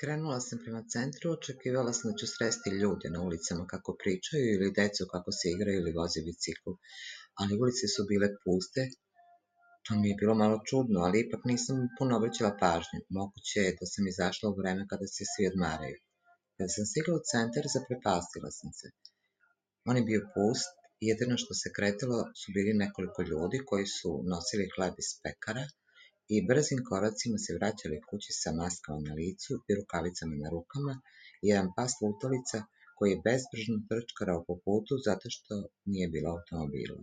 Krenula sam prema centru, očekivala sam da ću sresti ljude na ulicama kako pričaju ili decu kako se igraju ili voze bicikl, ali ulice su bile puste. To mi je bilo malo čudno, ali ipak nisam puno obraćala pažnju. Moguće je da sam izašla u vreme kada se svi odmaraju. Kada sam stigla u centar, zaprepastila sam se. On je bio pust, jedino što se kretalo su bili nekoliko ljudi koji su nosili hleb iz pekara i brzim koracima se vraćali kući sa maskama na licu i rukavicama na rukama i jedan pas lutalica koji je bezbrižno trčkarao po putu zato što nije bilo automobila.